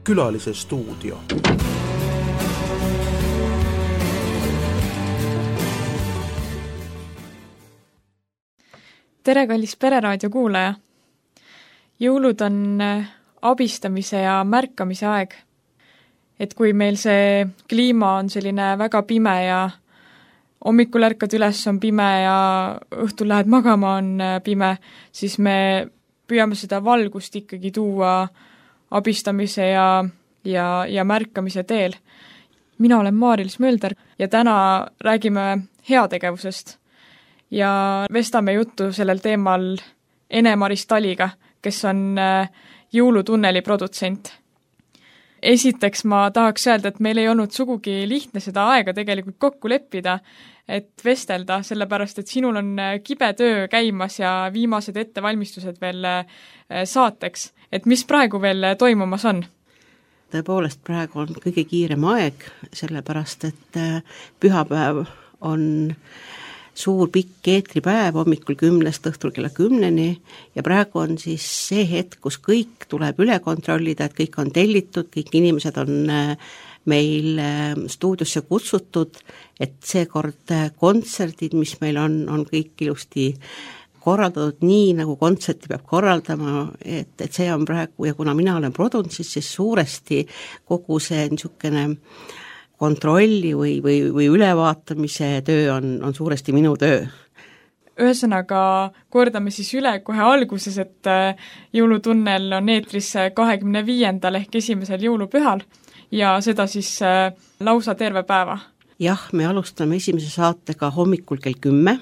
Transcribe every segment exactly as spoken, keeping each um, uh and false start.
Külalise stuudio. Tere, kallis Pereraadio kuulaja! Jõulud on abistamise ja märkamise aeg. Et kui meil see kliima on selline väga pime ja hommikul ärkad üles on pime ja õhtul lähed magama on pime, siis me püüame seda valgust ikkagi tuua abistamise ja, ja, ja märkamise teel. Mina olen Maarils Mölder ja täna räägime heategevusest ja vestame juttu sellel teemal Ene-Maris Taliga, kes on jõulutunneli produtsent. Esiteks ma tahaks öelda, et meil ei olnud sugugi lihtne seda aega tegelikult kokku leppida, et vestelda, sellepärast, et sinul on kibe töö käimas ja viimased ettevalmistused veel saateks. Et mis praegu veel toimumas on? Tõepoolest praegu on kõige kiirem aeg, sellepärast, et pühapäev on suur pikk eetripäev hommikul kümnest õhtul kella kümneni ja praegu on siis see hetk, kus kõik tuleb üle kontrollida, et kõik on tellitud, kõik inimesed on meil stuudiosse kutsutud, et seekord kontserdid, mis meil on, on kõik ilusti korraldatud nii, nagu kontserti peab korraldama, et, et see on praegu, ja kuna mina olen produnt, siis, siis suuresti kogu see niisugune kontrolli või, või, või ülevaatamise töö on, on suuresti minu töö. Ühesõnaga, kordame siis üle kohe alguses, et jõulutunnel on eetris kahekümne viiendal ehk esimesel jõulupühal ja seda siis lausa terve päeva. Jah, me alustame esimese saatega hommikul kell kümme.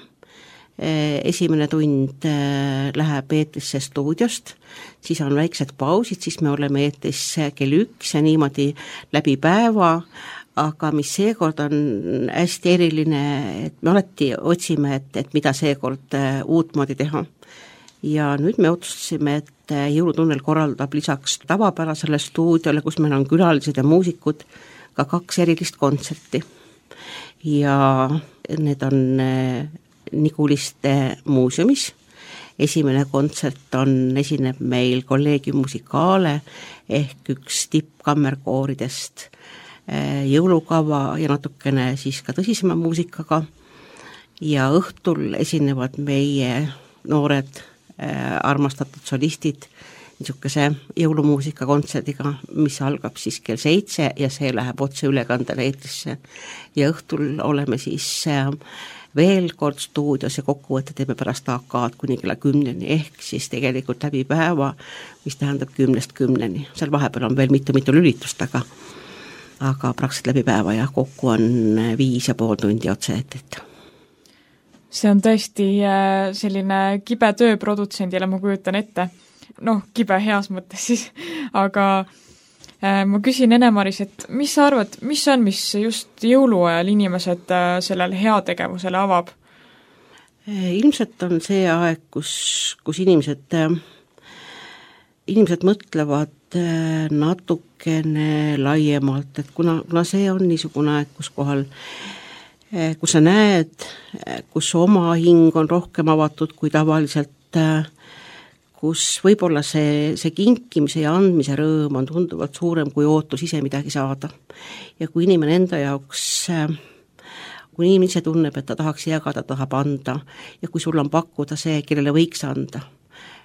Esimene tund läheb eetrisse stuudiost, siis on väiksed pausid, siis me oleme eetris kell üks ja niimoodi läbi päeva, aga mis seekord on hästi eriline, et me alati otsime, et, et mida seekord uutmoodi teha. Ja nüüd me otsustasime, et jõulutunnel korraldab lisaks tavapärasele stuudiole, kus meil on külalised ja muusikud, ka kaks erilist kontserti. Ja need on Niguliste muuseumis. Esimene kontsert on, esineb meil Collegium Musicale ehk üks tippkammerkooridest jõulukava ja natukene siis ka tõsisema muusikaga ja õhtul esinevad meie noored äh, armastatud solistid niisuguse jõulumuusika kontserdiga, mis algab siis kell seitse ja see läheb otse ülekandele eetrisse ja õhtul oleme siis äh, veel kord stuudios ja kokkuvõtte teeme pärast A K-d kuni kella kümneni ehk siis tegelikult läbi päeva, mis tähendab kümnest kümneni. Seal vahepeal on veel mitu-mitu lülitust, aga aga praktiliselt läbi päeva ja kokku on viis ja pool tundi otse eetrit. See on tõesti selline kibe töö produtsendile, ma kujutan ette. Noh, kibe heas mõttes siis, aga ma küsin Ene-Maris, et mis sa arvad, mis on, mis just jõuluajal inimesed sellel heategevusele avab? Ilmselt on see aeg, kus, kus inimesed, inimesed mõtlevad natukene laiemalt, et kuna, kuna see on niisugune aeg, kus kohal, kus sa näed, kus oma hing on rohkem avatud kui tavaliselt, kus võib-olla see, see kinkimise ja andmise rõõm on tunduvalt suurem kui ootus ise midagi saada. Ja kui inimene enda jaoks, kui inimene ise tunneb, et ta tahaks jagada, tahab anda ja kui sul on pakkuda see, kellele võiks anda,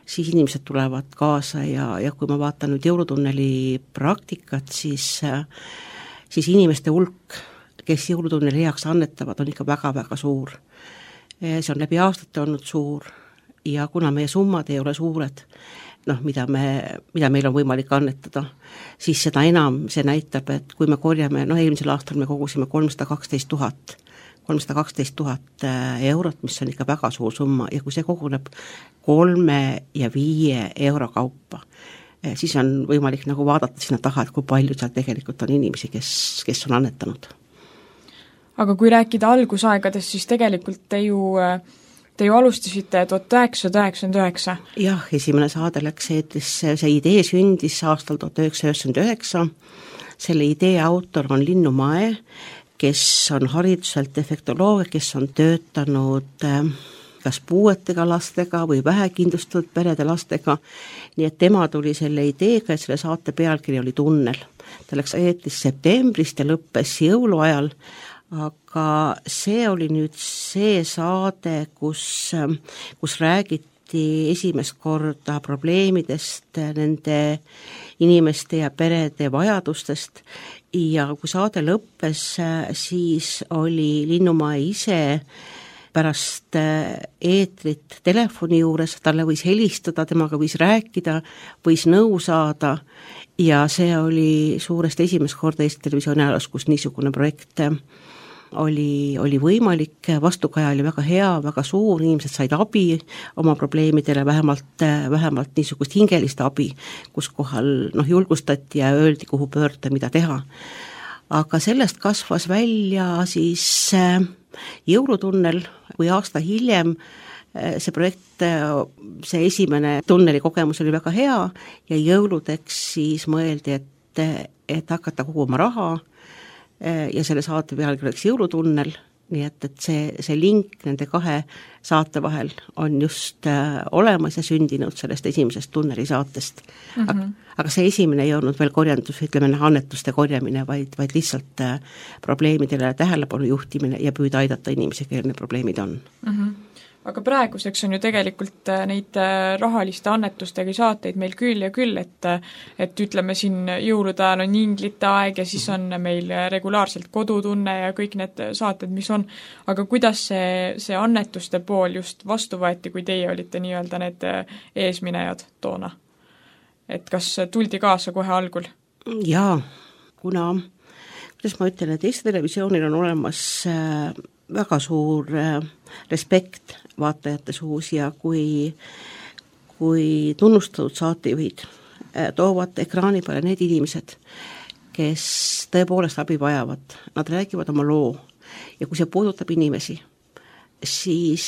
siis inimesed tulevad kaasa ja, ja kui ma vaatan nüüd jõulutunneli praktikat, siis, siis inimeste hulk, kes jõulutunneli heaks annetavad, on ikka väga-väga suur. See on läbi aastate olnud suur ja kuna meie summad ei ole suured, noh, mida, me, mida meil on võimalik annetada, siis seda enam see näitab, et kui me korjame, noh, eelmisel aastal me kogusime kolmsada kaksteist tuhat kolmsada kaksteist tuhat eurot, mis on ikka väga suur summa ja kui see koguneb kolme ja viie euro kaupa, siis on võimalik nagu vaadata sinna taha, et kui palju seal tegelikult on inimesi, kes, kes on annetanud. Aga kui rääkida algusaegadest, siis tegelikult te ju, te ju alustasite tuhat üheksasada üheksakümmend üheksa. Jah, esimene saade läks eetrisse, see idee sündis aastal tuhat üheksasada üheksakümmend üheksa. Selle idee autor on Linnu Mae, kes on hariduselt efektoloog, kes on töötanud kas puuetega lastega või vähekindlustatud perede lastega, nii et tema tuli selle ideega, et selle saate pealkiri oli Tunnel. Ta läks eetris septembrist ja lõppes jõuluajal, aga see oli nüüd see saade, kus, kus räägiti esimest korda probleemidest, nende inimeste ja perede vajadustest ja kui saade lõppes, siis oli Linnumäe ise pärast eetrit telefoni juures, talle võis helistada, temaga võis rääkida, võis nõu saada ja see oli suuresti esimest korda Eesti Televisiooni ajaloos, kus niisugune projekt oli, oli võimalik, vastukaja oli väga hea, väga suur, inimesed said abi oma probleemidele, vähemalt, vähemalt niisugust hingelist abi, kus kohal noh, julgustati ja öeldi, kuhu pöörda, mida teha. Aga sellest kasvas välja siis jõulutunnel, kui aasta hiljem see projekt, see esimene tunneli kogemus oli väga hea ja jõuludeks siis mõeldi, et, et hakata koguma raha ja selle saate pealgi oleks jõulutunnel, nii et, et see, see link nende kahe saate vahel on just äh, olemas ja sündinud sellest esimesest tunneli saatest. Mm-hmm. Aga, aga see esimene ei olnud veel korjandus, ütleme annetuste korjamine, vaid, vaid lihtsalt äh, probleemidele tähelepanu juhtimine ja püüda aidata inimesi, kellel need probleemid on. Mm-hmm. Aga praeguseks on ju tegelikult neid rahaliste annetustega saateid meil küll ja küll, et, et ütleme siin jõulude ajal on inglite aeg ja siis on meil regulaarselt kodutunne ja kõik need saated, mis on. Aga kuidas see, see annetuste pool just vastu võeti, kui teie olite nii-öelda need eesminejad toona? Et kas tuldi kaasa kohe algul? Jaa, kuna, kuidas ma ütlen, et Eesti Televisioonil on olemas väga suur respekt vaatajate suus ja kui, kui tunnustatud saatejuhid toovad ekraani peale need inimesed, kes tõepoolest abi vajavad, nad räägivad oma loo ja kui see puudutab inimesi, siis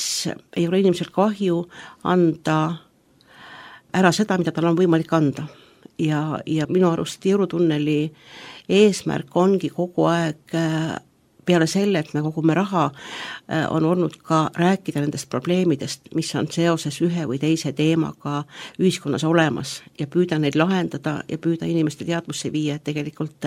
ei ole inimesel kahju anda ära seda, mida tal on võimalik anda. Ja, ja minu arust jõulutunneli eesmärk ongi kogu aeg peale selle, et me kogume raha, on olnud ka rääkida nendest probleemidest, mis on seoses ühe või teise teemaga ühiskonnas olemas ja püüda neid lahendada ja püüda inimeste teadvusse viia, et tegelikult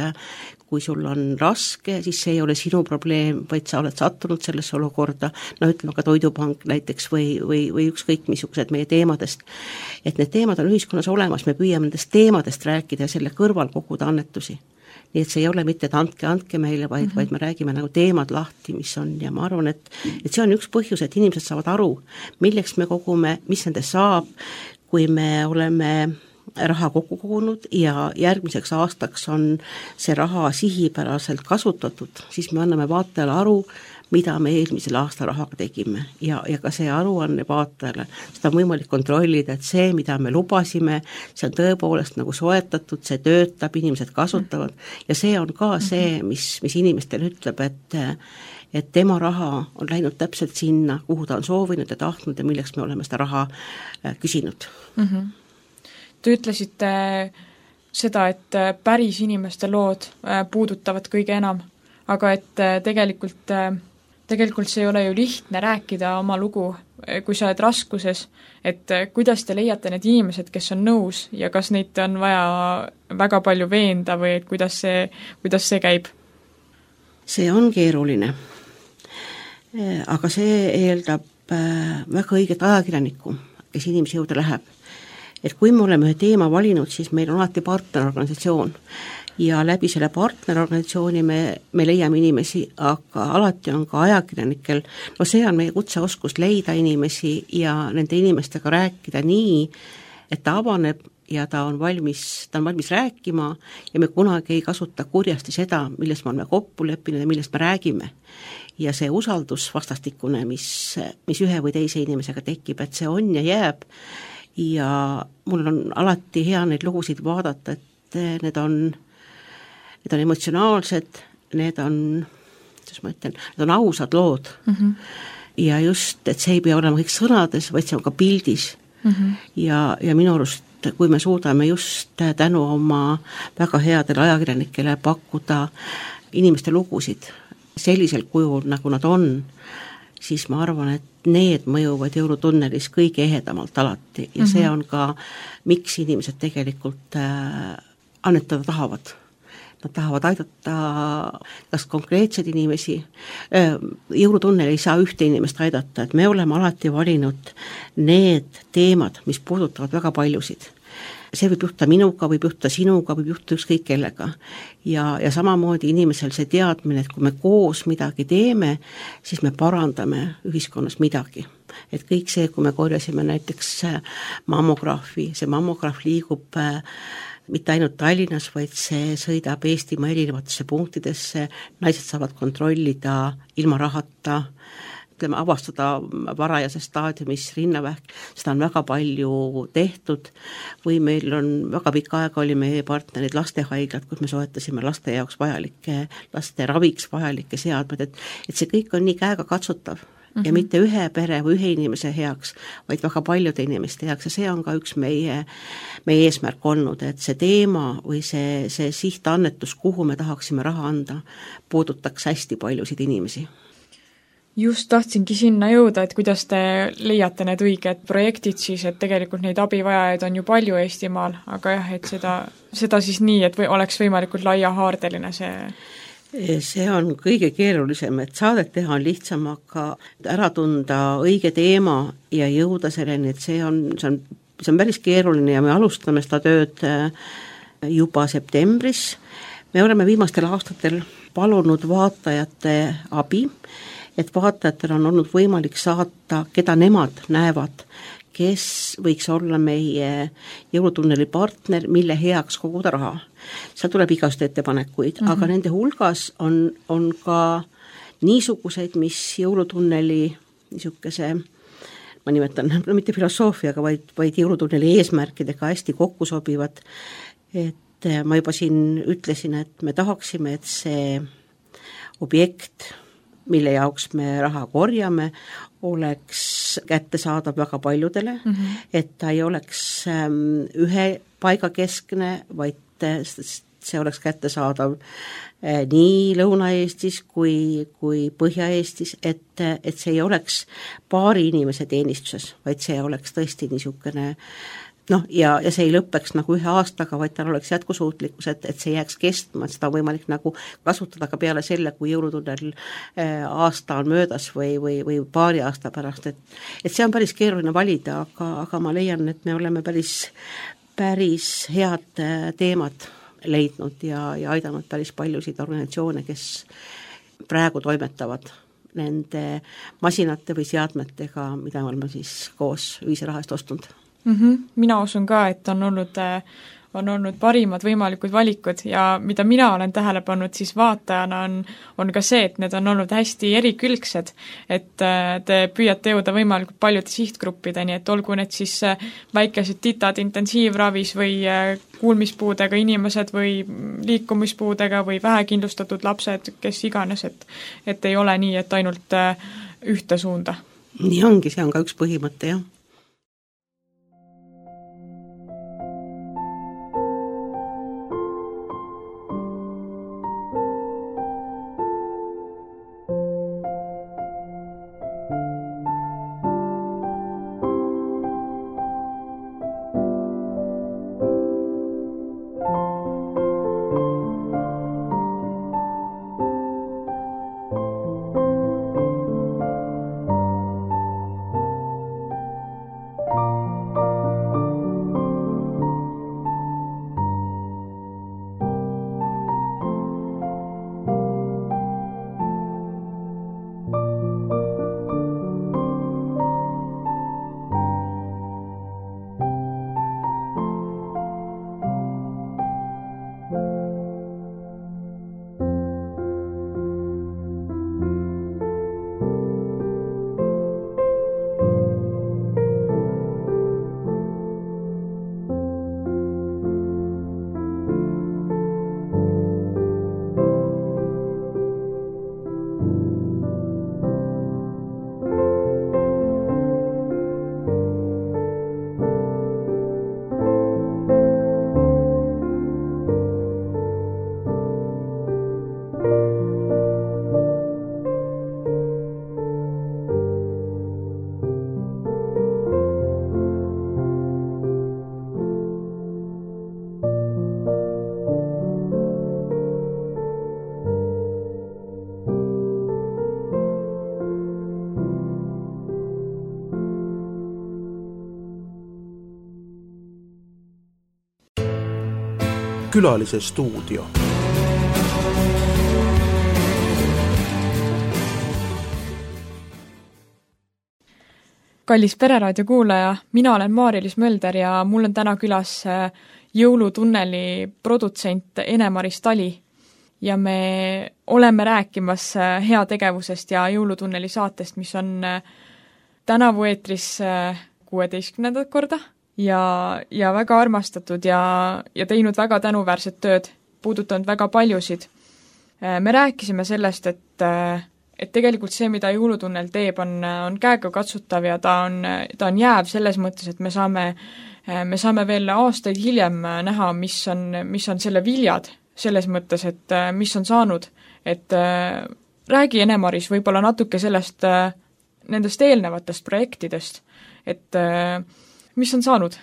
kui sul on raske, siis see ei ole sinu probleem, vaid sa oled sattunud sellesse olukorda, no ütleme ka Toidupank näiteks või, või, või ükskõik missugused meie teemadest, et need teemad on ühiskonnas olemas, me püüame nendest teemadest rääkida ja selle kõrval koguda annetusi. Nii et see ei ole mitte, et andke, andke meile, vaid, mm-hmm. vaid me räägime nagu teemad lahti, mis on ja ma arvan, et, et see on üks põhjus, et inimesed saavad aru, milleks me kogume, mis nendest saab, kui me oleme raha kokku kogunud ja järgmiseks aastaks on see raha sihipäraselt kasutatud, siis me anname vaatajale aru, mida me eelmisel aasta rahaga tegime ja, ja ka see aruanne vaatajale, seda on võimalik kontrollida, et see, mida me lubasime, see on tõepoolest nagu soetatud, see töötab, inimesed kasutavad ja see on ka see, mis, mis inimestele ütleb, et et tema raha on läinud täpselt sinna, kuhu ta on soovinud ja tahtnud ja milleks me oleme seda raha küsinud. Mm-hmm. Te ütlesite seda, et päris inimeste lood puudutavad kõige enam, aga et tegelikult Tegelikult see ei ole ju lihtne rääkida oma lugu, kui sa oled raskuses, et kuidas te leiate need inimesed, kes on nõus ja kas neid on vaja väga palju veenda või et kuidas see, kuidas see käib? See on keeruline, aga see eeldab väga õiget ajakirjanikku, kes inimese juurde läheb. Et kui me oleme ühe teema valinud, siis meil on alati partnerorganisatsioon ja läbi selle partnerorganisatsiooni me, me leiame inimesi, aga alati on ka ajakirjanikel, no see on meie kutseoskus leida inimesi ja nende inimestega rääkida nii, et ta avaneb ja ta on valmis, ta on valmis rääkima ja me kunagi ei kasuta kurjasti seda, millest me oleme kokku leppinud ja millest me räägime. Ja see usaldus vastastikune, mis, mis ühe või teise inimesega tekib, et see on ja jääb ja mul on alati hea neid lugusid vaadata, et need on Need on emotsionaalsed, need on, kuidas ma ütlen, need on ausad lood. Mm-hmm. Ja just, et see ei pea olema kõik sõnades, vaid see on ka pildis. Mm-hmm. Ja, ja minu arust, kui me suudame just tänu oma väga headele ajakirjanikele pakkuda inimeste lugusid sellisel kujul, nagu nad on, siis ma arvan, et need mõjuvad jõulutunnelis kõige ehedamalt alati ja mm -hmm. see on ka, miks inimesed tegelikult äh, annetada tahavad. Nad tahavad aidata kas konkreetseid inimesi, jõulutunnel ei saa ühte inimest aidata, et me oleme alati valinud need teemad, mis puudutavad väga paljusid. See võib juhtuda minuga, võib juhtuda sinuga, võib juhtuda ükskõik kellega. Ja, ja samamoodi inimesel see teadmine, et kui me koos midagi teeme, siis me parandame ühiskonnas midagi. Et kõik see, kui me korjasime näiteks mammograafi, see mammograaf liigub mitte ainult Tallinnas, vaid see sõidab Eestimaa erinevatesse punktidesse, naised saavad kontrollida ilma rahata, ütleme, avastada varajases staadiumis rinnavähk, seda on väga palju tehtud, või meil on väga pikka aega oli meie partnerid lastehaiglad, kus me soetasime laste jaoks vajalikke, laste raviks vajalikke seadmed, et, et see kõik on nii käega katsutav. Mm-hmm. Ja mitte ühe pere või ühe inimese heaks, vaid väga paljude inimeste heaks ja see on ka üks meie, meie eesmärk olnud, et see teema või see, see sihtannetus, kuhu me tahaksime raha anda, puudutaks hästi paljusid inimesi. Just tahtsingi sinna jõuda, et kuidas te leiate need õiged projektid siis, et tegelikult neid abivajajaid on ju palju Eestimaal, aga jah, et seda, seda siis nii, et või oleks võimalikult laiahaardeline see see on kõige keerulisem, et saadet teha on lihtsam, aga ära tunda õige teema ja jõuda selleni, et see on, see on, see on päris keeruline ja me alustame seda tööd juba septembris. Me oleme viimastel aastatel palunud vaatajate abi, et vaatajatel on olnud võimalik saata, keda nemad näevad, kes võiks olla meie jõulutunneli partner, mille heaks koguda raha. Seal tuleb igast ettepanekuid, mm-hmm. aga nende hulgas on, on ka niisuguseid, mis jõulutunneli niisuguse, ma nimetan, no mitte filosoofiaga, vaid, vaid jõulutunneli eesmärkidega hästi kokku sobivad. Et ma juba siin ütlesin, et me tahaksime, et see objekt, mille jaoks me raha korjame, oleks kättesaadav väga paljudele, mm-hmm. et ta ei oleks ähm, ühe paiga keskne, vaid see oleks kättesaadav äh, nii Lõuna-Eestis kui, kui Põhja-Eestis, et, et see ei oleks paari inimese teenistuses, vaid see oleks tõesti niisugune noh, ja, ja see ei lõppeks nagu ühe aastaga, vaid tal oleks jätkusuutlikkus, et, et see jääks kestma, et seda on võimalik nagu kasutada ka peale selle, kui jõulutunnel äh, aasta on möödas või, või, või paari aasta pärast, et, et see on päris keeruline valida, aga, aga ma leian, et me oleme päris, päris head teemad leidnud ja, ja aidanud päris paljusid organisatsioone, kes praegu toimetavad nende masinate või seadmetega, mida me oleme siis koos ühise raha eest ostnud. Mm-hmm. Mina usun ka, et on olnud, on olnud parimad võimalikud valikud ja mida mina olen tähele pannud siis vaatajana on, on ka see, et need on olnud hästi erikülgsed, et te püüate jõuda võimalikult paljude sihtgruppideni, et olgu need siis väikesed titad intensiivravis või kuulmispuudega inimesed või liikumispuudega või vähekindlustatud lapsed, kes iganes, et, et ei ole nii, et ainult ühte suunda. Nii ongi, see on ka üks põhimõte, jah. Külalise stuudio. Kallis Pereraadio kuulaja, mina olen Maarja-Liis Mölder ja mul on täna külas jõulutunneli produtsent Ene-Maris Tali ja me oleme rääkimas heategevusest ja jõulutunneli saatest, mis on tänavu eetris kuueteistkümnendat korda ja, ja väga armastatud ja, ja teinud väga tänuväärset tööd, puudutanud väga paljusid. Me rääkisime sellest, et et tegelikult see, mida jõulutunnel teeb, on, on käega katsutav ja ta on, ta on jääv selles mõttes, et me saame, me saame veel aastaid hiljem näha, mis on, mis on selle viljad, selles mõttes, et mis on saanud. Et räägi, Ene-Maris, võib-olla natuke sellest, nendest eelnevatest projektidest, et mis on saanud?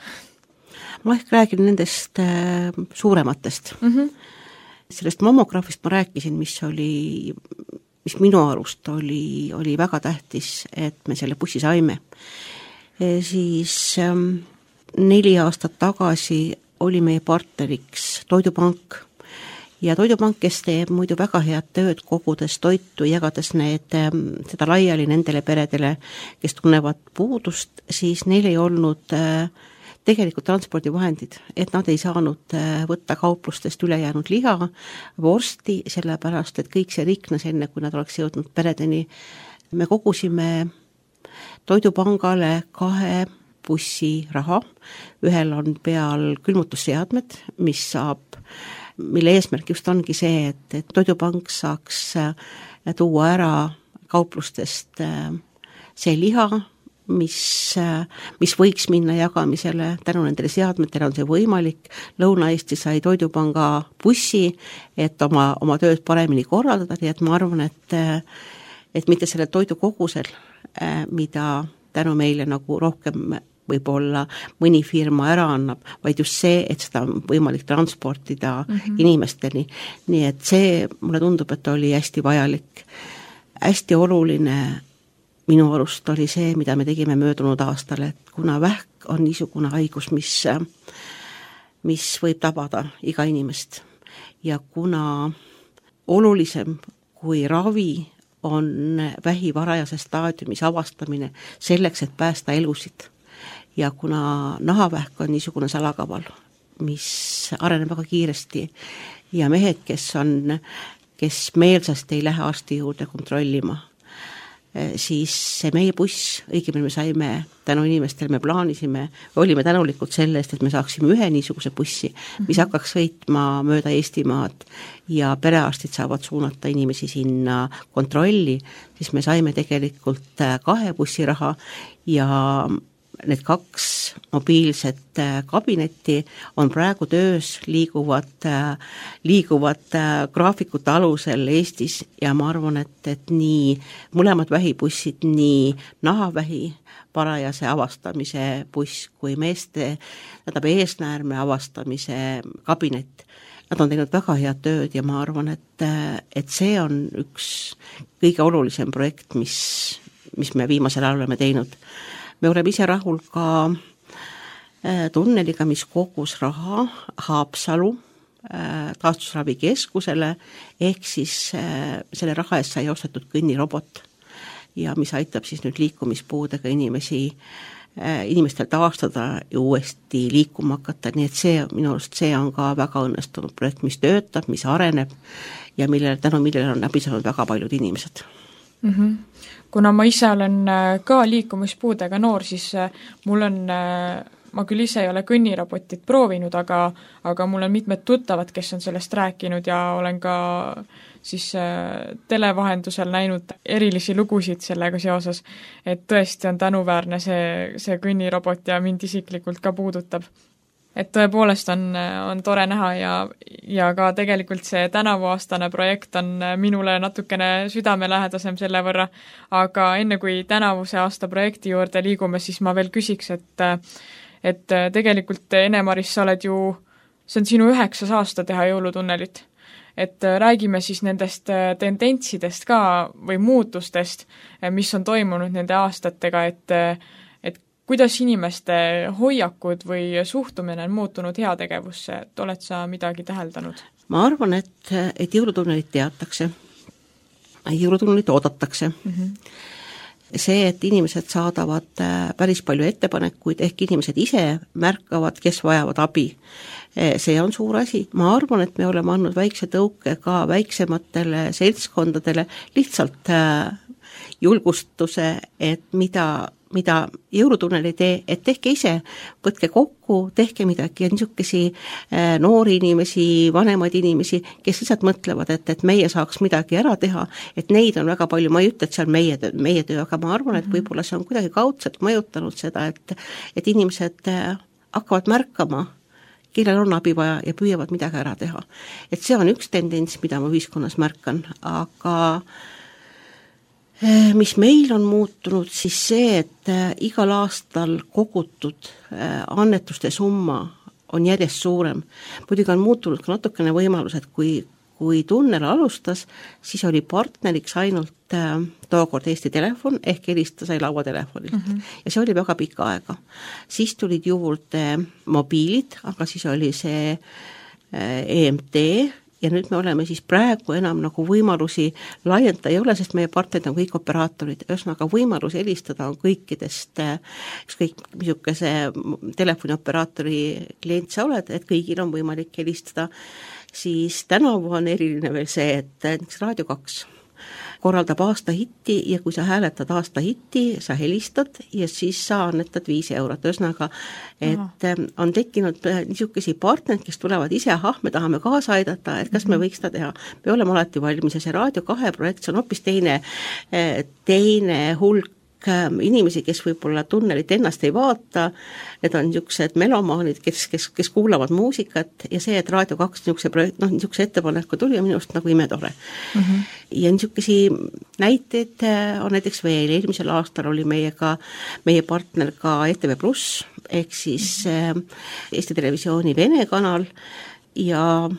Ma ehk räägin nendest suurematest. Mm-hmm. Sellest mammograafist ma rääkisin, mis oli mis minu arust oli, oli väga tähtis, et me selle bussi saime. E siis ähm, neli aastat tagasi oli meie partneriks Toidupank ja Toidupank, kes teeb muidu väga head tööd, kogudes toitu, jagades need, ähm, seda laiali nendele peredele, kes tunnevad puudust, siis neil ei olnud äh, tegelikult transpordivahendid, et nad ei saanud võtta kauplustest ülejäänud liha, vorsti, sellepärast, et kõik see riknes enne, kui nad oleks jõudnud peredeni. Me kogusime Toidupangale kahe bussi raha, ühel on peal külmutusseadmed, mis saab, mille eesmärk just ongi see, et, et Toidupank saaks tuua ära kauplustest see liha, mis, mis võiks minna jagamisele, tänu nendele seadmetele on see võimalik. Lõuna-Eesti sai Toidupanga bussi, et oma, oma tööd paremini korraldada, nii et ma arvan, et, et mitte selle toidu kogusel, mida tänu meile nagu rohkem võib-olla mõni firma ära annab, vaid just see, et seda on võimalik transportida mm-hmm. inimesteni. Nii et see, mulle tundub, et oli hästi vajalik. Hästi oluline minu arust oli see, mida me tegime möödunud aastal, et kuna vähk on niisugune haigus, mis, mis võib tabada iga inimest ja kuna olulisem kui ravi on vähi varajases staadiumis avastamine selleks, et päästa elusid ja kuna nahavähk on niisugune salakaval, mis areneb väga kiiresti ja mehed, kes on, kes meelsasti ei lähe arsti juurde kontrollima, siis see meie buss, õigemini me saime tänu inimestele, me plaanisime, olime tänulikud selle eest, et me saaksime ühe niisuguse bussi, mis hakkaks sõitma mööda Eestimaad ja perearstid saavad suunata inimesi sinna kontrolli, siis me saime tegelikult kahe bussi raha ja need kaks mobiilset kabinetti on praegu töös, liiguvad, liiguvad graafikute alusel Eestis ja ma arvan, et, et nii mõlemad vähibussid, nii nahavähi parajase avastamise buss kui meeste, tähendab eesnäärme avastamise kabinet, nad on teinud väga head tööd ja ma arvan, et, et see on üks kõige olulisem projekt, mis, mis me viimasel ajal oleme teinud. Me oleme ise rahul ka tunneliga, mis kogus raha Haapsalu taastusravikeskusele, ehk siis selle raha eest sai ostetud kõnnirobot ja mis aitab siis nüüd liikumispuudega inimesi, inimestel taastada ja uuesti liikuma hakata, nii et see, minu arust see on ka väga õnnestunud projekt, mis töötab, mis areneb ja millele, tänu millele on läbi saanud väga paljud inimesed. Mm-hmm. Kuna ma ise olen ka liikumispuudega noor, siis mul on, ma küll ise ei ole kõnnirobotit proovinud, aga, aga mul on mitmed tuttavad, kes on sellest rääkinud ja olen ka siis televahendusel näinud erilisi lugusid sellega seoses, et tõesti on tänuväärne see, see kõnnirobot ja mind isiklikult ka puudutab. Et tõepoolest on, on tore näha ja, ja ka tegelikult see tänavuaastane projekt on minule natukene südamelähedasem selle võrra, aga enne kui tänavuse aasta projekti juurde liigume, siis ma veel küsiks, et, et tegelikult Ene-Maris, sa oled ju, see on sinu üheksas aasta teha jõulutunnelit, et räägime siis nendest tendentsidest ka või muutustest, mis on toimunud nende aastatega, et kuidas inimeste hoiakud või suhtumine on muutunud heategevusse, et oled sa midagi täheldanud? Ma arvan, et, et jõulutunnelit teatakse, jõulutunnelit oodatakse. Mm-hmm. See, et inimesed saadavad päris palju ettepanekuid, ehk inimesed ise märkavad, kes vajavad abi. See on suur asi. Ma arvan, et me oleme andnud väikse tõuke ka väiksematele seltskondadele lihtsalt julgustuse, et mida, mida jõulutunnel ei tee, et tehke ise, võtke kokku, tehke midagi ja niisugesi noori inimesi, vanemaid inimesi, kes lihtsalt mõtlevad, et, et meie saaks midagi ära teha, et neid on väga palju, ma ei ütle, et see on meie töö, meie töö, aga ma arvan, et võib-olla see on kuidagi kaudselt mõjutanud seda, et, et inimesed hakkavad märkama, kellel on abi vaja ja püüavad midagi ära teha. Et see on üks tendents, mida ma ühiskonnas märkan, aga mis meil on muutunud, siis see, et igal aastal kogutud annetuste summa on järjest suurem. Muidugi on muutunud ka natukene võimalus, et kui, kui tunnel alustas, siis oli partneriks ainult tookord Eesti Telefon, ehk helista sai lauatelefonilt. Mm-hmm. Ja see oli väga pikka aega. Siis tulid juurde mobiilid, aga siis oli see E M T, ja nüüd me oleme siis praegu enam nagu võimalusi laiendada ei ole, sest meie partnerid on kõik operaatorid, ühesõnaga võimalus helistada on kõikidest, ükskõik misukese telefonioperaatori klient sa oled, et kõigil on võimalik helistada, siis tänavu on eriline veel see, et näiteks Raadio kaks korraldab aasta hitti ja kui sa hääletad aasta hitti, sa helistad ja siis sa annetad viis eurot. Ühesõnaga, et Aha. on tekkinud niisugesi partnerid, kes tulevad ise, ahah, me tahame kaasa aidata, et kas me võiks seda teha. Me oleme alati valmis ja see Raadio kahe projekt on hoopis teine, teine hulk inimesi, kes võib-olla tunnelit ennast ei vaata, need on niisugused melomaanid, kes, kes, kes kuulavad muusikat ja see, et Raadio kaks niisuguse, projekt, no, niisuguse ettepaneku tuli on minust nagu imetore. Mm-hmm. Ja niisugesi näiteid on näiteks veel, eelmisel aastal oli meiega, meie partner ka E T V Plus, ehk siis mm-hmm. Eesti Televisiooni Vene kanal ja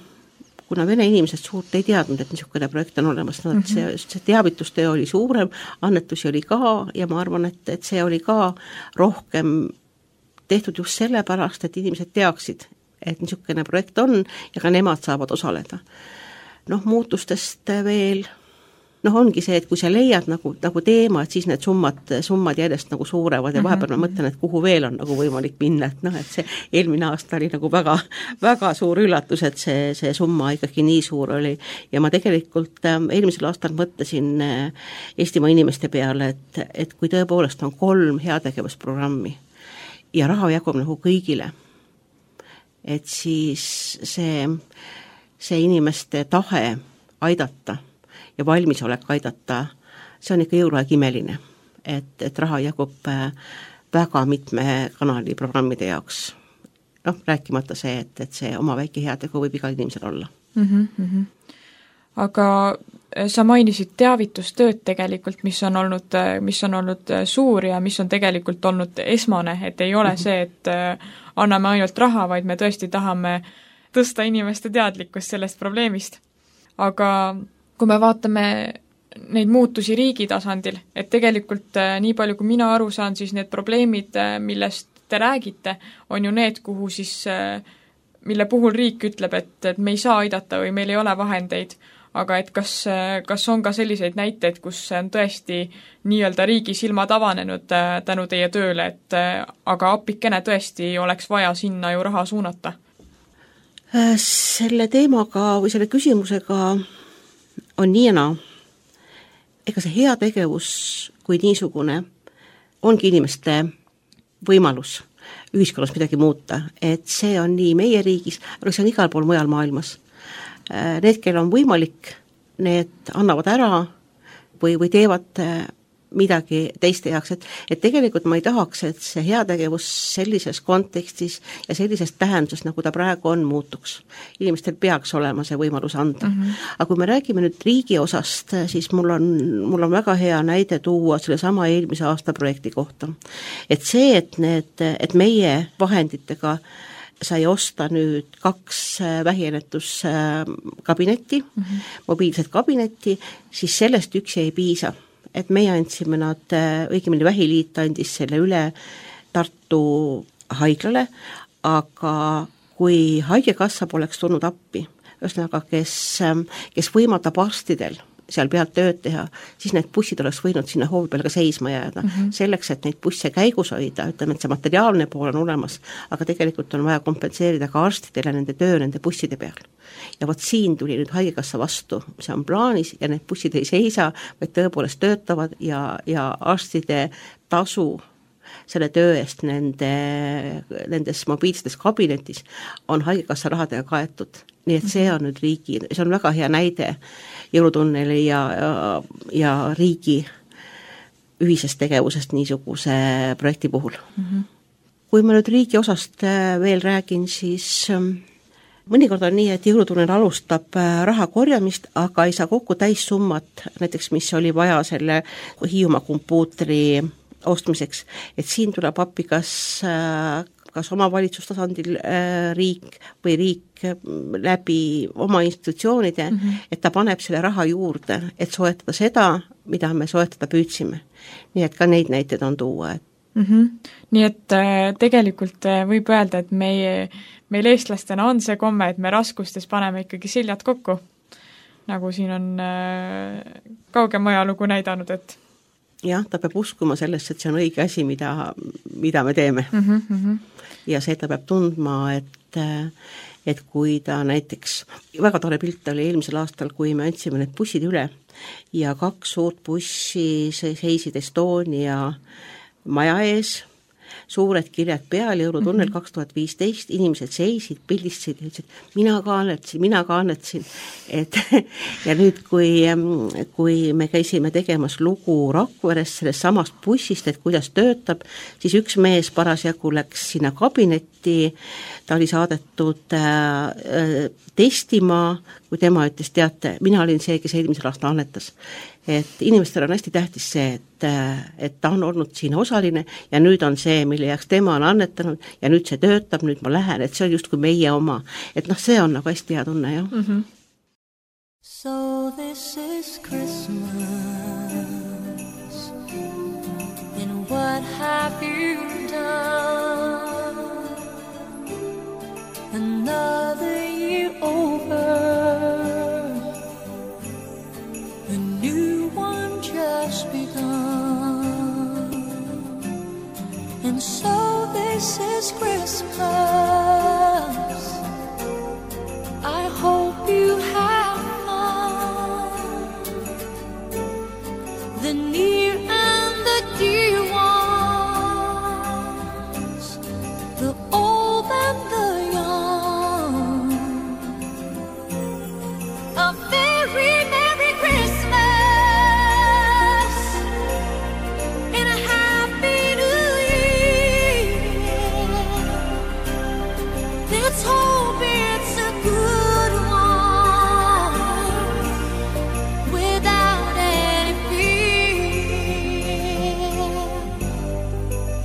kuna vene inimesed suurt ei teadnud, et niisugune projekt on olemas, no, et see, see teavitustöö oli suurem, annetusi oli ka ja ma arvan, et, et see oli ka rohkem tehtud just sellepärast, et inimesed teaksid, et niisugune projekt on ja ka nemad saavad osaleda. Noh, muutustest veel, noh ongi see, et kui sa leiad nagu, nagu teema, et siis need summad, summad järjest nagu suurevad ja vahepeal ma mõtlen, et kuhu veel on nagu võimalik minna, et noh, et see eelmine aasta oli nagu väga, väga suur üllatus, et see, see summa ikkagi nii suur oli ja ma tegelikult eelmisel aastal mõtlesin Eestimaa inimeste peale, et, et kui tõepoolest on kolm heategevusprogrammi ja raha jagub nagu kõigile, et siis see, see inimeste tahe aidata ja valmisolek aidata, see on ikka jõuluaeg imeline, et, et raha jagub väga mitme kanali programmide jaoks. Noh, rääkimata see, et, et see oma väike heategu võib igal inimesel olla. Mm-hmm. Aga sa mainisid teavitustööd tegelikult, mis on olnud, mis on olnud suur ja mis on tegelikult olnud esmane, et ei ole mm-hmm. see, et anname ainult raha, vaid me tõesti tahame tõsta inimeste teadlikkust sellest probleemist. Aga kui me vaatame neid muutusi riigi tasandil, et tegelikult nii palju, kui mina aru saan, siis need probleemid, millest te räägite, on ju need, kuhu siis, mille puhul riik ütleb, et, et me ei saa aidata või meil ei ole vahendeid, aga et kas, kas on ka selliseid näiteid, kus on tõesti nii-öelda riigi silmad avanenud tänu teie tööle, et aga appikene tõesti oleks vaja sinna ju raha suunata? Selle teemaga või selle küsimusega on nii ja naa. Ega see hea tegevus kui niisugune ongi inimeste võimalus ühiskonnas midagi muuta, et see on nii meie riigis, aga see on igal pool mujal maailmas. Need, kel on võimalik, need annavad ära või, või teevad midagi teiste jaoks, et, et tegelikult ma ei tahaks, et see heategevus sellises kontekstis ja sellises tähenduses, nagu ta praegu on, muutuks. Inimestel peaks olema see võimalus anda. Mm-hmm. Aga kui me räägime nüüd riigi osast, siis mul on, mul on väga hea näide tuua selle sama eelmise aasta projekti kohta. Et see, et, need, et meie vahenditega sai osta nüüd kaks vähiennetuskabinetti, mm-hmm. mobiilset kabinetti, siis sellest üksi ei piisa. Et meie andsime nad, õigemini Vähiliit andis selle üle Tartu haiglale, aga kui haigekassa poleks tulnud appi, ühesõnaga, kes, kes võimaldab arstidel seal pealt tööd teha, siis need bussid oleks võinud sinna hoovi peale ka seisma jääda. Mm -hmm. Selleks, et neid busse käigus hoida, ütleme, et see materiaalne pool on olemas, aga tegelikult on vaja kompenseerida ka arstidele nende töö nende busside peal. Ja vot siin tuli nüüd haigekassa vastu, see on plaanis ja need bussid ei seisa, vaid tõepoolest töötavad ja, ja arstide tasu selle töö eest nende, nendes mobiilsetes kabinetis on haigekassa rahadega kaetud. Nii et see on nüüd riigi, see on väga hea näide jõulutunneli ja, ja, ja riigi ühisest tegevusest niisuguse projekti puhul. Mm-hmm. Kui ma nüüd riigi osast veel räägin, siis mõnikord on nii, et jõulutunnel alustab raha korjamist, aga ei saa kokku täissummat, näiteks mis oli vaja selle Hiiumaa kompuutri ostmiseks, et siin tuleb appi kas, kas omavalitsustasandil riik või riik läbi oma institutsioonide, mm-hmm. et ta paneb selle raha juurde, et soetada seda, mida me soetada püüdsime. Nii et ka neid näiteid on tuua. Et... Mm-hmm. Nii et tegelikult võib öelda, et meie, meil eestlastena on see komme, et me raskustes paneme ikkagi siljad kokku, nagu siin on kaugem ajalugu näidanud, et jah, ta peab uskuma sellest, et see on õige asi, mida, mida me teeme. Mm -hmm. Ja see ta peab tundma, et, et kui ta näiteks, väga tore pilt oli eelmisel aastal, kui me andsime need bussid üle ja kaks suurt bussi seisid Estonia maja ees, suured kirjad peal, jõulutunnel kaks tuhat viisteist, inimesed seisid, pildistasid ja ütlesid, mina ka annetasin, mina ka annetasin. Et, ja nüüd, kui, kui me käisime tegemas lugu Rakveres sellest samast bussist, et kuidas töötab, siis üks mees parasjagu läks sinna kabinetti, ta oli saadetud äh, testima, kui tema ütles, teate, mina olin see, kes eelmisel aasta annetas. Et inimestel on hästi tähtis see, et, et ta on olnud siin osaline ja nüüd on see, mille jaoks tema on annetanud ja nüüd see töötab, nüüd ma lähen, et see on just kui meie oma. Et noh, see on nagu hästi hea tunne, jah. Mm-hmm. So this is Christmas and what have you done? Another year over, a new one just begun, and so this is Christmas. I hope you have fun, the near and the dear ones, the old and the young. A very Merry Christmas and a Happy New Year. Let's hope it's a good one without any fear.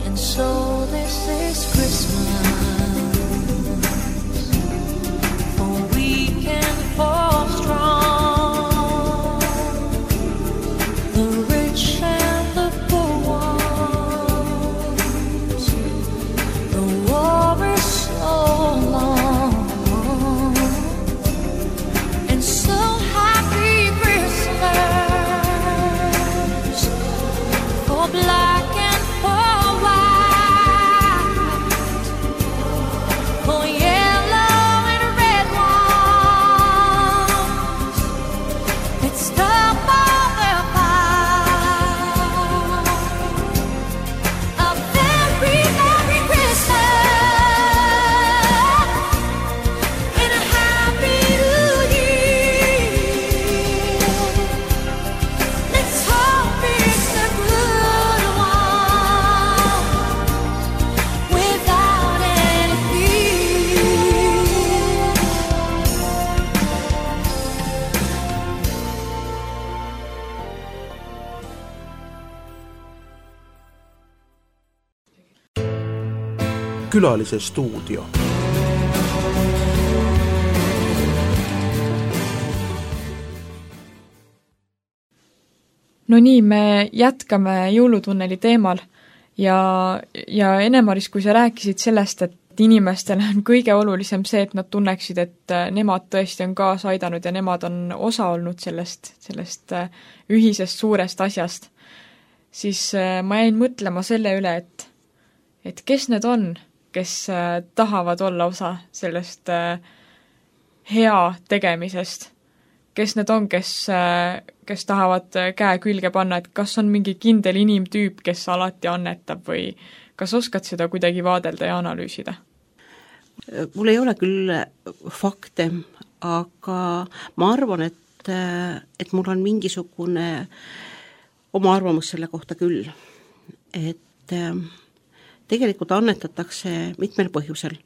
And so this is Christmas, for weak and for strong, the rich and the poor ones. The war is so long, and so happy Christmas for black and for white, for yellow and red ones. Let's stop all the fight. A very Merry Christmas and a Happy New Year. Let's hope it's a good one without any fear. Külalise stuudio. No nii, me jätkame jõulutunneli teemal ja, ja Ene-Maris, kui sa rääkisid sellest, et inimestele on kõige olulisem see, et nad tunneksid, et nemad tõesti on kaasa aidanud ja nemad on osa olnud sellest, sellest ühisest suurest asjast, siis ma jäin mõtlema selle üle, et, et kes need on, kes tahavad olla osa sellest hea tegemisest, kes need on, kes, kes tahavad käe külge panna, et kas on mingi kindel inimtüüp, kes alati annetab või kas oskad seda kuidagi vaadelda ja analüüsida? Mul ei ole küll fakte, aga ma arvan, et, et mul on mingisugune oma arvamus selle kohta küll. Et tegelikult annetatakse mitmel põhjusel.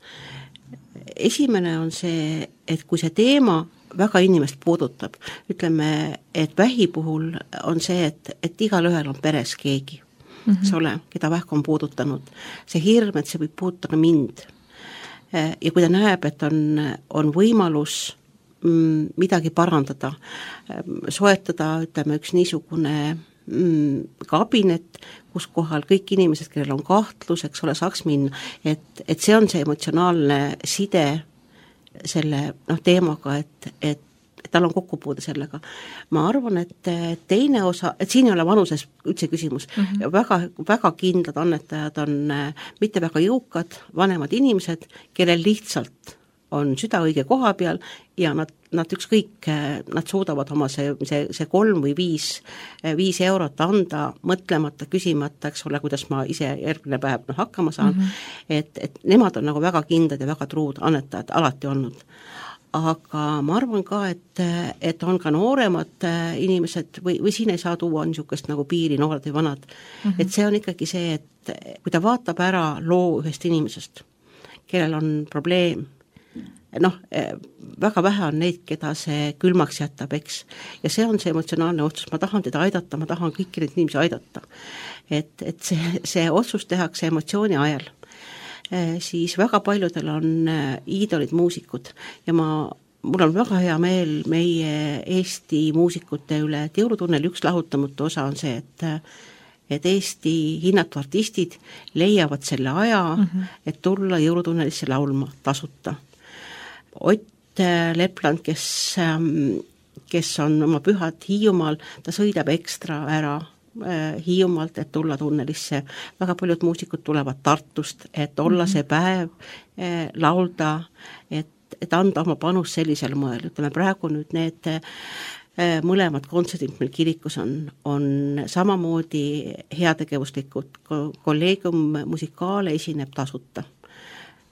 Esimene on see, et kui see teema väga inimest puudutab, ütleme, et vähi puhul on see, et, et igal ühel on peres keegi, mm-hmm. eks ole, keda vähk on puudutanud. See hirm, et see võib puudutada mind. Ja kui ta näeb, et on, on võimalus mm, midagi parandada, soetada, ütleme, üks niisugune mm, kabinet, kus kohal kõik inimesed, kellel on kahtlus, eks ole, saaks minna, et, et see on see emotsionaalne side selle noh, teemaga, et, et et tal on kokkupuude sellega. Ma arvan, et teine osa, et siin ei ole vanuses üldse küsimus, mm-hmm. väga, väga kindlad annetajad on mitte väga jõukad, vanemad inimesed, kellel lihtsalt on süda õige koha peal ja nad, nad ükskõik, nad suudavad oma see, see, see kolm või viis, viis eurot anda, mõtlemata, küsimata, eks ole, kuidas ma ise järgmine päev no, hakkama saan, mm-hmm. et, et nemad on nagu väga kindlad ja väga truud annetajad alati olnud. Aga ma arvan ka, et, et on ka nooremad inimesed või, või siin ei saa tuua niisugust nagu piiri noored või vanad. Mm-hmm. Et see on ikkagi see, et kui ta vaatab ära loo ühest inimesest, kellel on probleem, noh, väga vähe on neid, keda see külmaks jätab, eks. Ja see on see emotsionaalne otsus, ma tahan teda aidata, ma tahan kõiki neid inimesi aidata. Et, et see, see otsus tehakse emotsiooni ajal. Siis väga paljudel on iidolid muusikud ja ma, mul on väga hea meel meie Eesti muusikute üle, et Jõulutunneli üks lahutamatu osa on see, et, et Eesti hinnatud artistid leiavad selle aja, mm-hmm. et tulla Jõulutunnelisse laulma tasuta. Ott Lepland, kes, kes on oma pühad Hiiumaal, ta sõidab ekstra ära Hiiumaalt, et tulla tunnelisse. Väga paljud muusikud tulevad Tartust, et olla mm-hmm. see päev, laulda, et, et anda oma panus sellisel moel. Ütleme, praegu nüüd need mõlemad kontserdid meil kirikus on, on samamoodi heategevuslikud. Kolleegium Musikaale esineb tasuta.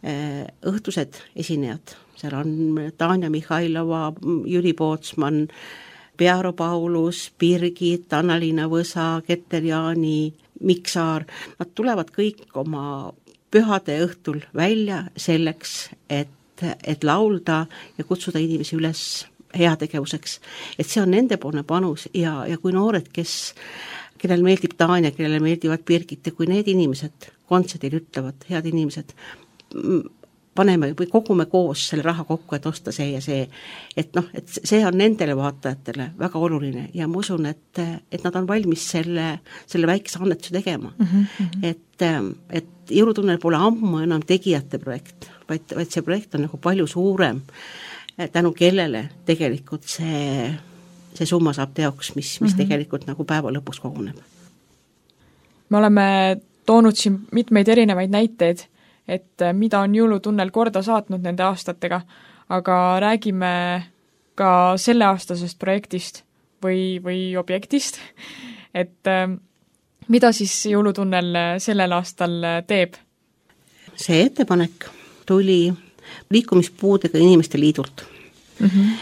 Õhtused esinejad, seal on Tanja Mihhailova, Jüri Pootsman, Pearo Paulus, Birgit, Anna-Liina Võsa, Keter Jaani, Miksaar, nad tulevad kõik oma pühade õhtul välja selleks, et, et laulda ja kutsuda inimesi üles heategevuseks. Et see on nendepoolne panus ja, ja kui noored, kes, kellel meeldib Tanja, kellele meeldivad Birgit ja kui need inimesed kontserdil ütlevad, head inimesed, paneme või kogume koos selle raha kokku, et osta see ja see. Et noh, et see on nendele vaatajatele väga oluline ja ma usun, et, et nad on valmis selle, selle väikese annetuse tegema. Mm-hmm. Et, et Jõulutunnel pole ammu enam tegijate projekt, vaid, vaid see projekt on nagu palju suurem, tänu kellele tegelikult see, see summa saab teoks, mis, mis mm-hmm. tegelikult nagu päeva lõpuks koguneb. Me oleme toonud siin mitmeid erinevaid näiteid, et mida on Jõulutunnel korda saatnud nende aastatega, aga räägime ka selleaastasest projektist või, või objektist, et mida siis Jõulutunnel sellel aastal teeb? See ettepanek tuli liikumispuudega inimeste liidult. Mm-hmm.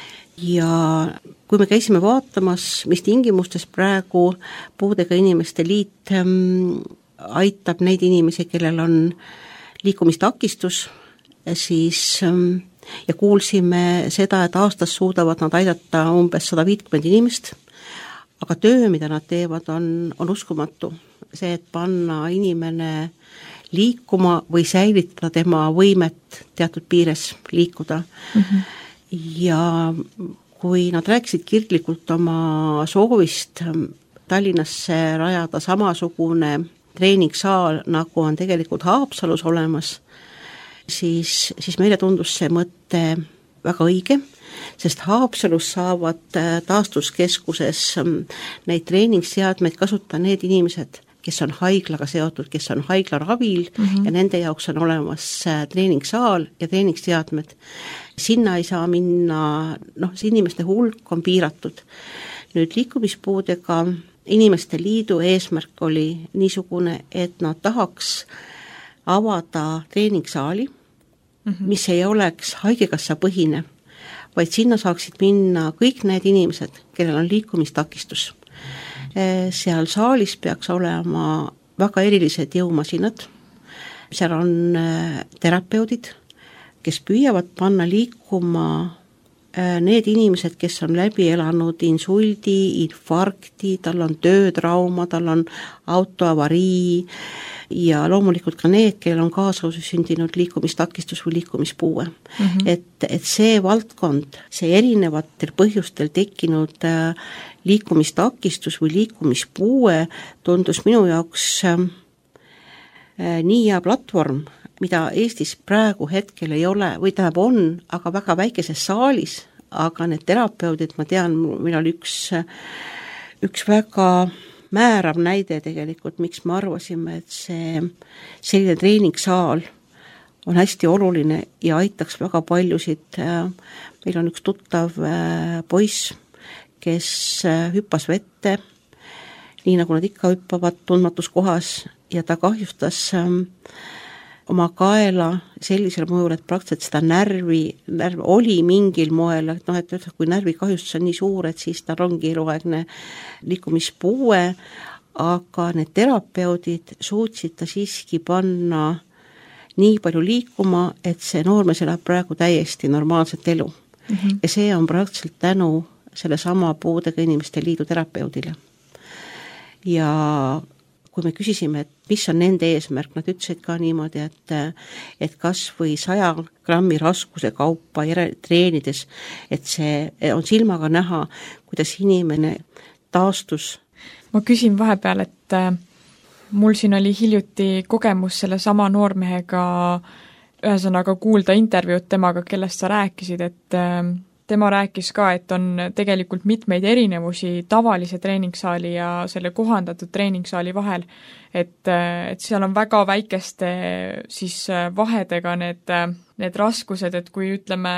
Ja kui me käisime vaatamas, mis tingimustes praegu puudega inimeste liit ähm, aitab neid inimesi, kellel on liikumistakistus, siis ja kuulsime seda, et aastas suudavad nad aidata umbes sada viiskümmend inimest, aga töö, mida nad teevad, on, on uskumatu. See, et panna inimene liikuma või säilitada tema võimet teatud piires liikuda. Mm-hmm. Ja kui nad rääkisid kirglikult oma soovist Tallinnasse rajada samasugune treeningsaal, nagu on tegelikult Haapsalus olemas, siis, siis meile tundus see mõte väga õige, sest Haapsalus saavad taastuskeskuses neid treeningsseadmeid kasutada need inimesed, kes on haiglaga seotud, kes on haiglaravil mm-hmm. ja nende jaoks on olemas treeningsaal ja treeningsseadmed. Sinna ei saa minna, noh, see inimeste hulk on piiratud. Nüüd liikumispuudega inimeste liidu eesmärk oli niisugune, et nad tahaks avada treeningsaali, mm-hmm. mis ei oleks haigekassa põhine, vaid sinna saaksid minna kõik need inimesed, kellel on liikumistakistus. Seal saalis peaks olema väga erilised jõumasinad, seal on terapeudid, kes püüavad panna liikuma need inimesed, kes on läbi elanud insuldi, infarkti, tal on töötrauma, tal on autoavarii ja loomulikult ka need, kellel on kaasluse sündinud liikumistakistus või liikumispuue. Mm-hmm. Et, et see valdkond, see erinevatel põhjustel tekkinud liikumistakistus või liikumispuue tundus minu jaoks äh, nii hea platvorm, mida Eestis praegu hetkel ei ole, või tähendab on, aga väga väikeses saalis, aga need terapeudid, ma tean, meil oli üks, üks väga määrav näide tegelikult, miks me arvasime, et see selline treeningsaal on hästi oluline ja aitaks väga paljusid. Meil on üks tuttav poiss, kes hüppas vette, nii nagu nad ikka hüppavad tundmatus kohas ja ta kahjustas oma kaela sellisel mõjul, et praktiliselt seda närvi, närv oli mingil moel, et noh, et kui närvikahjustus on nii suur, et siis tal ongi eluaegne liikumispuue, aga need terapeudid suutsid ta siiski panna nii palju liikuma, et see noormees elab praegu täiesti normaalset elu. Mm-hmm. Ja see on praktiliselt tänu selle sama puudega inimeste liidu terapeudile. Ja kui me küsisime, et mis on nende eesmärk, nad ütlesid ka niimoodi, et, et kas või saja grammi raskuse kaupa treenides, et see on silmaga näha, kuidas inimene taastus. Ma küsin vahepeal, et mul siin oli hiljuti kogemus selle sama noormehega, ühesõnaga kuulda intervjuud temaga, kellest sa rääkisid, et tema rääkis ka, et on tegelikult mitmeid erinevusi tavalise treeningsaali ja selle kohandatud treeningsaali vahel, et, et seal on väga väikeste siis vahedega need, need raskused, et kui ütleme,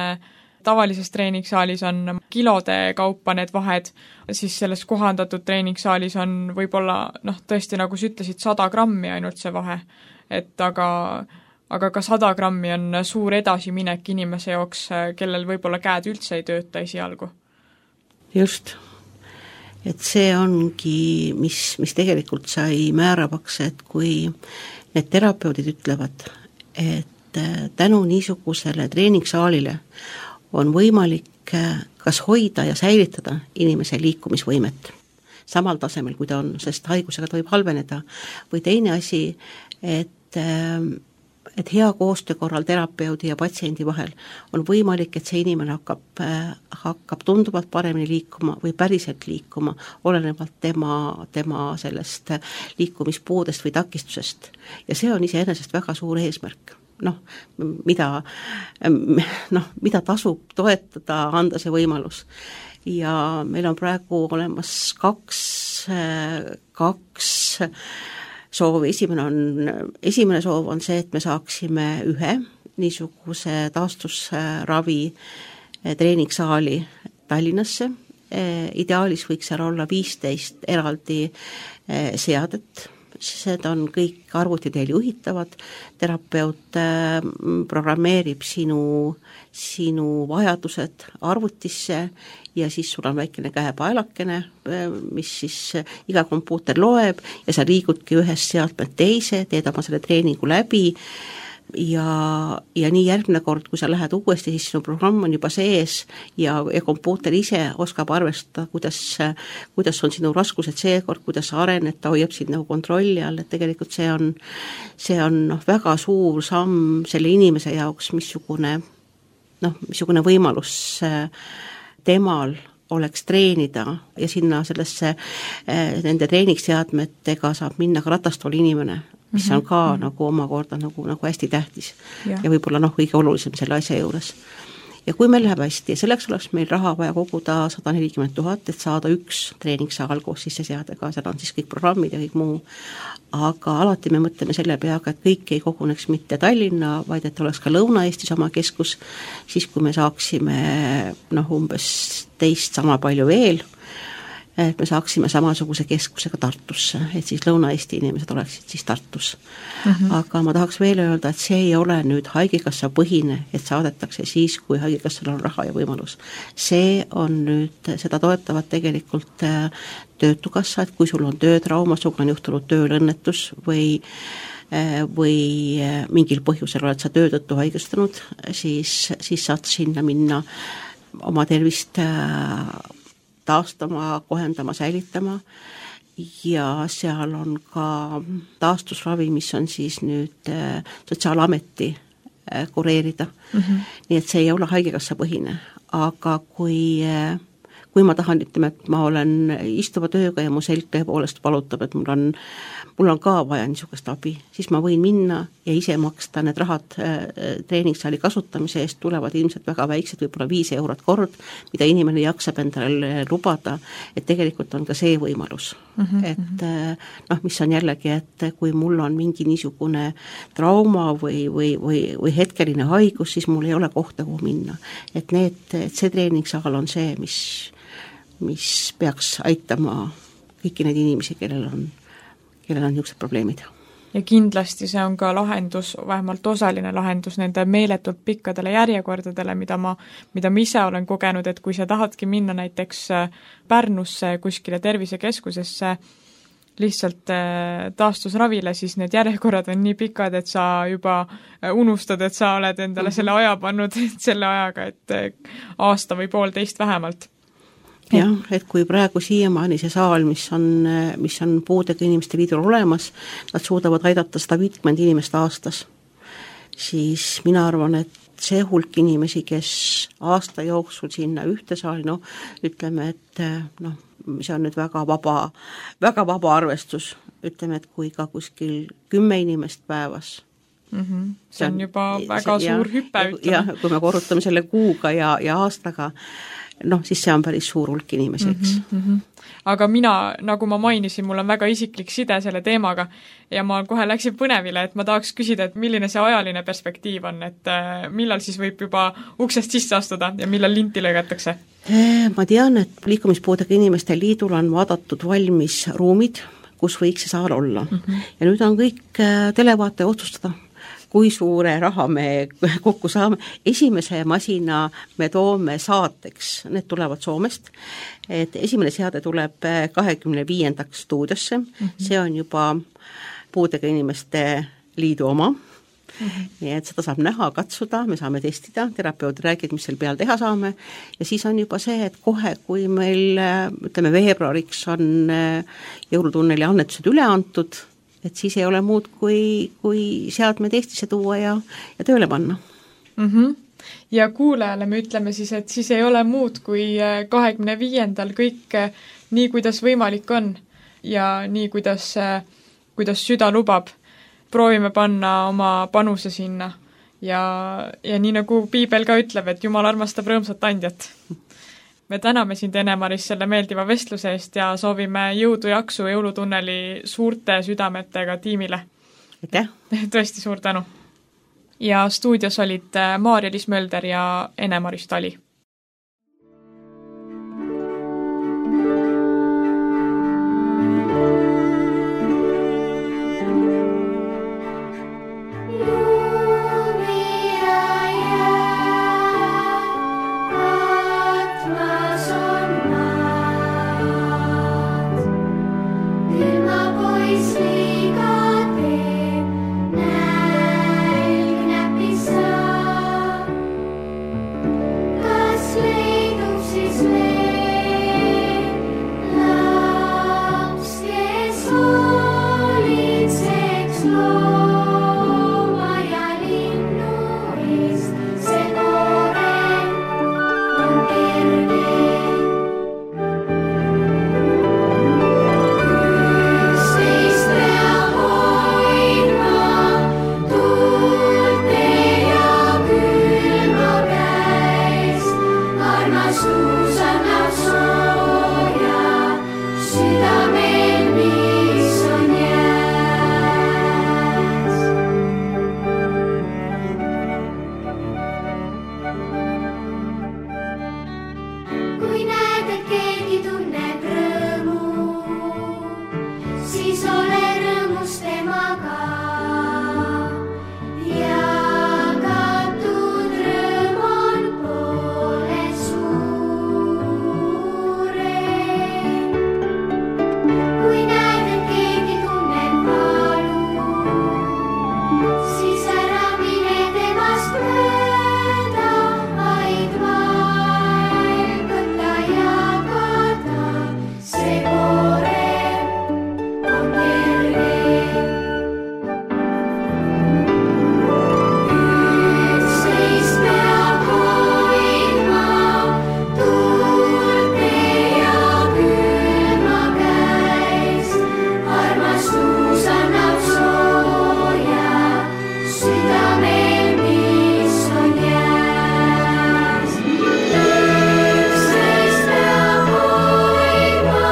tavalises treeningssaalis on kilode kaupa need vahed, siis selles kohandatud treeningssaalis on võib-olla, noh, tõesti, nagu sa ütlesid, sada grammi ainult see vahe, et aga aga ka sada grammi on suur edasiminek inimese jaoks, kellel võib-olla käed üldse ei tööta esialgu. Just. Et see ongi, mis, mis tegelikult sai määravaks, et kui need terapeudid ütlevad, et tänu niisugusele treeningssaalile on võimalik kas hoida ja säilitada inimese liikumisvõimet samal tasemel, kui ta on, sest haigusega ta võib halveneda. Või teine asi, et et hea koostöö korral terapeudi ja patsiendi vahel on võimalik, et see inimene hakkab, hakkab tunduvalt paremini liikuma või päriselt liikuma, olenevalt tema, tema sellest liikumispuudest või takistusest. Ja see on iseenesest väga suur eesmärk. Noh, mida, noh, mida tasub toetada, anda see võimalus. Ja meil on praegu olemas kaks, kaks soov, esimene on, esimene soov on see, et me saaksime ühe niisuguse taastusravi treeningsaali Tallinnasse. Ideaalis võiks seal olla viisteist eraldi seadet, need on kõik arvuti teel juhitavad, terapeut programmeerib sinu, sinu vajadused arvutisse ja siis sul on väikene käepaelakene, mis siis iga kompuuter loeb ja sa liigudki ühest seadmelt teise, teed oma selle treeningu läbi ja, ja nii järgmine kord, kui sa lähed uuesti, siis sinu programm on juba sees ja, ja kompuuter ise oskab arvestada, kuidas, kuidas on sinu raskused seekord, kuidas sa arened, ta hoiab sind nagu kontrolli all, et tegelikult see on, see on noh, väga suur samm selle inimese jaoks, missugune, noh, missugune võimalus temal oleks treenida ja sinna sellesse nende treeningseadmetega saab minna ka ratastooli inimene, mis on ka mm-hmm. nagu omakorda nagu, nagu hästi tähtis ja, ja võib-olla noh, kõige olulisem selle asja juures. Ja kui meil läheb hästi, selleks oleks meil raha vaja koguda sada nelikümmend tuhat, et saada üks treeningsaal koos sisseseadega, seal on siis kõik programmid ja kõik muu, aga alati me mõtleme selle peaga, et kõik ei koguneks mitte Tallinna, vaid et oleks ka Lõuna-Eestis oma keskus, siis kui me saaksime noh, umbes teist sama palju veel, et me saaksime samasuguse keskusega Tartusse, et siis Lõuna-Eesti inimesed oleksid siis Tartus. Mm-hmm. Aga ma tahaks veel öelda, et see ei ole nüüd haigekassa põhine, et saadetakse siis, kui haigekassal on raha ja võimalus. See on nüüd, seda toetavad tegelikult töötukassa, et kui sul on töötrauma, sul on juhtunud tööõnnetus või või mingil põhjusel oled sa töö tõttu haigestunud, siis, siis saad sinna minna oma tervist taastama, kohendama, säilitama ja seal on ka taastusravi, mis on siis nüüd Sotsiaalameti kureerida. Mm-hmm. Nii et see ei ole haigekassa põhine, aga kui, kui ma tahan, ütleme, et ma olen istuva tööga ja mu selg tõepoolest valutab, et mul on mul on ka vaja niisugust abi, siis ma võin minna ja ise maksta need rahad treeningsaali kasutamise eest, tulevad ilmselt väga väiksed, võib-olla viis eurot kord, mida inimene jaksab endale lubada, et tegelikult on ka see võimalus. Mm-hmm. Et noh, mis on jällegi, et kui mul on mingi niisugune trauma või, või, või, või hetkeline haigus, siis mul ei ole kohta, kuhu minna. Et, need, et see treeningsaal on see, mis, mis peaks aitama kõiki neid inimesi, kellel on kellel on niisugused probleemid. Ja kindlasti see on ka lahendus, vähemalt osaline lahendus nende meeletult pikkadele järjekordadele, mida ma, mida ma ise olen kogenud, et kui sa tahadki minna näiteks Pärnusse kuskile tervisekeskusesse lihtsalt taastusravile, siis need järjekorrad on nii pikad, et sa juba unustad, et sa oled endale selle aja pannud selle ajaga, et aasta või poolteist vähemalt. Jah, et kui praegu siiamaani see saal, mis on, mis on puudega inimeste liidul olemas, nad suudavad aidata sada viiskümmend inimest aastas, siis mina arvan, et see hulk inimesi, kes aasta jooksul sinna ühte saali, no ütleme, et noh, see on nüüd väga vaba, väga vaba arvestus, ütleme, et kui ka kuskil kümme inimest päevas, mm-hmm. see on juba väga see, suur ja, hüpe, ütleme. Jah, kui me korrutame selle kuuga ja, ja aastaga, noh, siis see on päris suur hulk inimesi, eks. Mm-hmm. Aga mina, nagu ma mainisin, mul on väga isiklik side selle teemaga ja ma kohe läksin põnevile, et ma tahaks küsida, et milline see ajaline perspektiiv on, et millal siis võib juba uksest sisse astuda ja millal linti lõigatakse? Ma tean, et liikumispuudega inimeste liidul on vaadatud valmis ruumid, kus võiks see saal olla. Mm-hmm. Ja nüüd on kõik televaate otsustada, kui suure raha me kokku saame. Esimese masina me toome saateks, need tulevad Soomest, et esimene seade tuleb kahekümne viiendaks stuudiosse, mm-hmm. see on juba puudega inimeste liidu oma, mm-hmm. nii et seda saab näha, katsuda, me saame testida, terapeud räägid, mis seal peal teha saame ja siis on juba see, et kohe, kui meil ütleme veebruariks on jõulutunneli annetused üle antud, et siis ei ole muud, kui, kui seadmed Eestisse tuua ja, ja tööle panna. Mm-hmm. Ja kuulajale me ütleme siis, et siis ei ole muud, kui kahekümne viiendal kõik nii, kuidas võimalik on ja nii, kuidas, kuidas süda lubab. Proovime panna oma panuse sinna ja, ja nii nagu Piibel ka ütleb, et Jumal armastab rõõmsat andjat. Me täname sind, Ene-Maris, selle meeldiva vestluse eest ja soovime jõudu jaksu jõulutunneli suurte südametega tiimile. Aitäh! Tõesti suur tänu! Ja stuudios olid Maarja-Liis Mölder ja Ene-Maris Tali. God armastus annab sooja südamel, mis on jääs. Kui näed, et keegi tunneb rõõmu, siis ole rõõmus temaga. Jagatud rõõm on poole suurem. Kui näed, et keegi tunneb valu, siis ära mine temast mööda, vaid vaev võta jagada. See koorem on kerge. Üksteist peab hoidma tuulte ja külma käes. Armastus annab sooja südamel, mis on jääs. Üksteist peab hoidma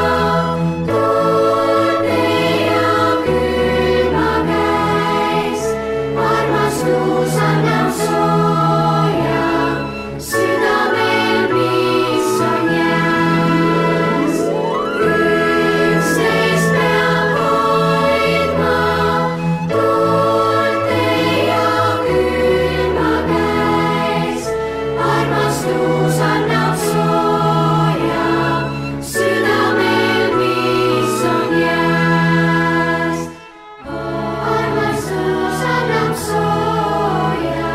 tuulte ja külma käes. Armastus annab sooja südamel, mis on jääs. Üksteist peab hoidma tuulte ja külma käes. Armastus annab sooja südamel, mis on jääs. Armastus annab sooja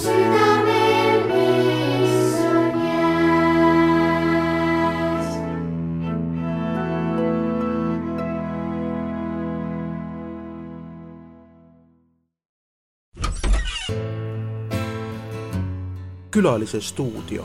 südamel, mis on jääs. Külalise stuudio.